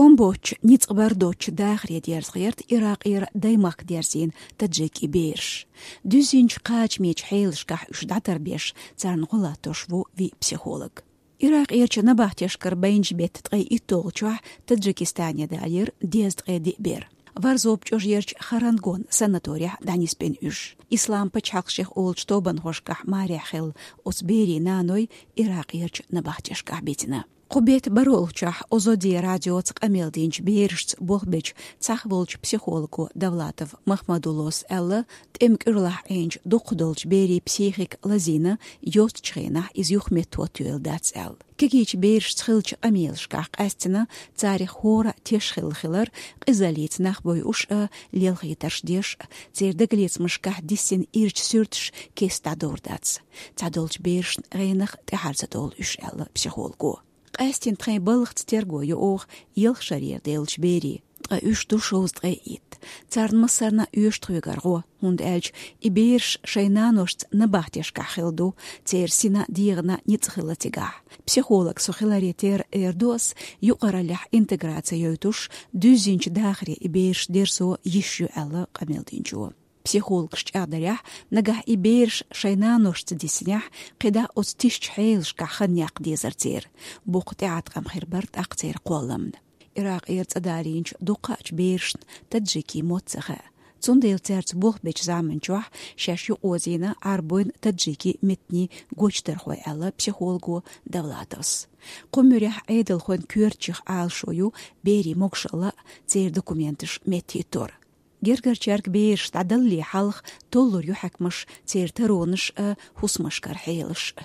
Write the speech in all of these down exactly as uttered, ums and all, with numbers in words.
Омбоч ницкъ бар доцчу дахаре дерза гӀерта Иракъера даймахка дерзийна таджики бераш. Дуьззинчу кхачамечу хьелашкахь уьш дӀатарбеш, царна гӀо латтош ву виъ психолог. Иракъерчу набахтешкара байначу беттан ткъе итталгӀачохь Таджикистане далийра дезткъе диъ бер. Варзопа чӀожерчу Харангон санаторехь дӀанисбина уьш. Ислам пачхьалкх шех олучу тобанхошкахь марехь хилла оцу берийн наной Иракъерчу набахтешкахь битина. Кху беттан бархӀолгӀачохь Озоди радиоца къамел динчу берашца болх бечу цхьаъ волчу психолого Давлатов Махмадуллос аьлла, тӀеман кӀуьрлахь Ӏийначу дукхах долчу берийн психика лазийна, йоццачу хенахь иза юхаметтахӀоттайойла дац аьлла. Кегийчу берашца хиллачу къамелашкахь къаьстина царах хӀора а теш хилла хилар, къизаллица нах бойъуш а, лелхийтарш деш а, церан дагалецамашкахь диссина ирча суьрташ кеста дӀадовр дац. Цхьадолчу берашна гӀенах тӀаьхьара ца довлу уьш, аьлла психолого. Къаьстина тхайн балхаца терго йо оха ялх шарера деллачу берийн. Ткъа уьш ду шовзткъе итт. Царна массарна оьшу тхоьгара гӀо, хӀунда аьлча и бераш шайн наношца набахтешкахь хилла ду, церан сина, дегӀана ницкъ хилла цигахь. Психолог со хиларе терра эр ду ас, юкъараллехь интеграци йойтуш, дуьззинчу дахаре и бераш дерзо йиш ю, аьлла къамел динчо. Психологаш чӀагӀдарехь, нагахь и бераш шайн наношца диссинехь, кхидӀа оцу тишачу хьелашкахь хан яккха дезара церан. Боккха тӀеӀаткъам хир бара тӀаккха церан кхолламна. Иракъера цӀа далийначу дуккхаъчу берашна таджикийн мотт ца хаьа. Цундела цаьрца болх бечу заманчохь шаьш юкъаозийна Ӏарбойн, таджикийн меттанийн гочдархой, аьлла психолого Давлатовс. Кху муьрехь Ӏедалхойн коьртачех Ӏалашо ю берийн могушалла а, церан документаш меттахӀиттор. Гергарчаьрга бераш дӀадалале хьалха толлур ю хьаькамаш церан таронаш а, хӀусамашкара хьелаш а.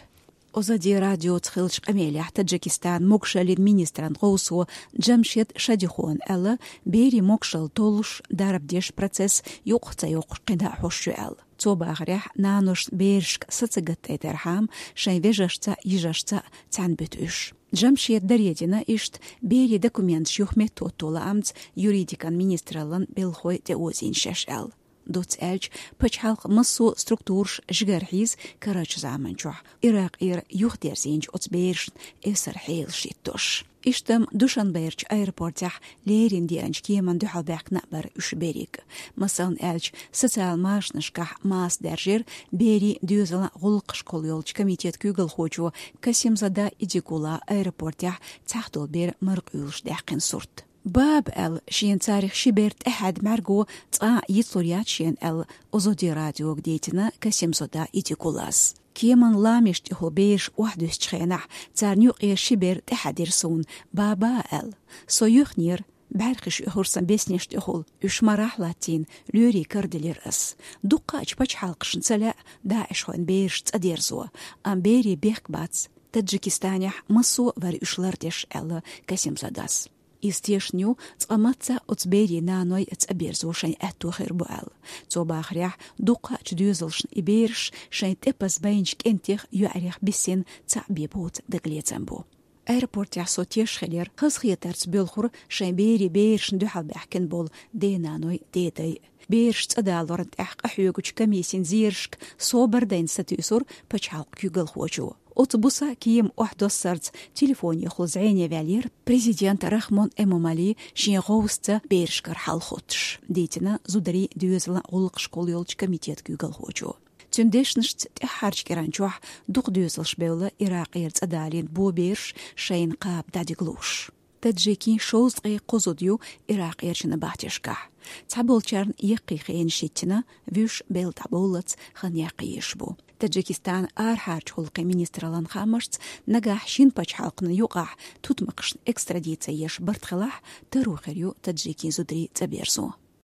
Озоди радиоца хиллачу къамелехь Таджикистанан могушаллин министран гӀовсо Джамшед Шадихона аьлла, берийн могушалла толлуш, дарба деш процесс юкъах ца йоккхуш кхидӀа а хьош ю аьлла. Цо бахарехь, наношна берашка са ца гатдайтархьама, шайн вежаршца а, йижаршца а цхьаьна буьту уьш. Джамшеда даре дина иштта, берийн документаш юхаметтахӀотто лаамца юридикан министраллан белхахой тӀеозийна шаьш аьлла. Доцца аьлча, пачхьалкхан массо а структураш жигара хьийза карарчу заманчохь, Иракъера юхадерзийначу оцу берашна эвсара хьелаш хӀиттош. Иштта-м Душанберчу аэропортехь леррина деанчу кеманна дуьхьалбаьхкина а бара уьш берриг. Масална аьлча, социал машанашкахь маса даьржира берийн, доьзалан, гӀуллакхаш кхолла йолчу комитетан куьйгалхочо Касимзада Идигула аэропортехь цхьахдолу бер мара къуьйлуш даьккхина сурт. Баба аьлла, шена царах ши бер тӀаьхьаьдда мӀаьрго цкъа а йицлур яц шена аьлла, Озоди радиога дийцина Касимзада Идигулас. Кеманан ламеш тӀехула бераш охьадуьссучу хенахь, царна юкъера ши бер тӀаьхьаьдира суна, баба аьлла. Со юьхнера, бӀаьрхиш оьхура сан беснеш тӀехула, уьш марахь латтийна, лоьрийн кара делира ас. Дуккхаъчу пачхьалкхашна ца лаьа даишхойн бераш цӀа дерзо, амма берийн бехк бац. Таджикистанехь массо а вара уьш лардеш, аьлла Касимзадас. Иза тешна ю, цкъа мацца а оцу берийн наной цӀа берзо шайн аьтто хир бу аьлла. Цо бахарехь, дуккхаъчу доьзалшна и бераш шайн тӀепаза байначу кӀентех, йоӀарех биссина цхьаъ бен боцу дагалецам бу. Аэропортехь со теш хилира, хазахетарца боьлхура шайн берийн берашна дуьхьалбаьхкина болу денаной, дедай. Бераш цӀа далорна тӀехь къахьоьгучу комиссин зерашка собар дайна сатуьйсура пачхьалкхан куьйгалхочо. Оцу буса кема охьадоссарца телефонехула зӀене ваьллера президент Рахмон Эмомали, шен гӀовсаца берашкара хьал хоттуш, дийцина зударийн, доьзалан гӀуллакхаш кхолла йолчу комитетан куьйгалхочо. Цуьнан дешнашца, тӀаьххьарчу кӀиранчохь дукха доьзалш бевлла Иракъера цӀа далийна бо бераш шайна кхаба дӀадигалуш. Таджикийн шовзткъе кхо зуда ю Иракъерчу набахтешкахь. Цхьаболчарна яккхий хенаш хӀиттина, вуьш белла дӀабовллалц хан яккха езаш бу. Таджикистанан арахьарчу гӀуллакхийн министраллан хаамашца, нагахь шина пачхьалкхана юкъахь тутмакхашна экстрадици еш барт хилахь, таро хир ю таджикийн зударийн цӀа берзо.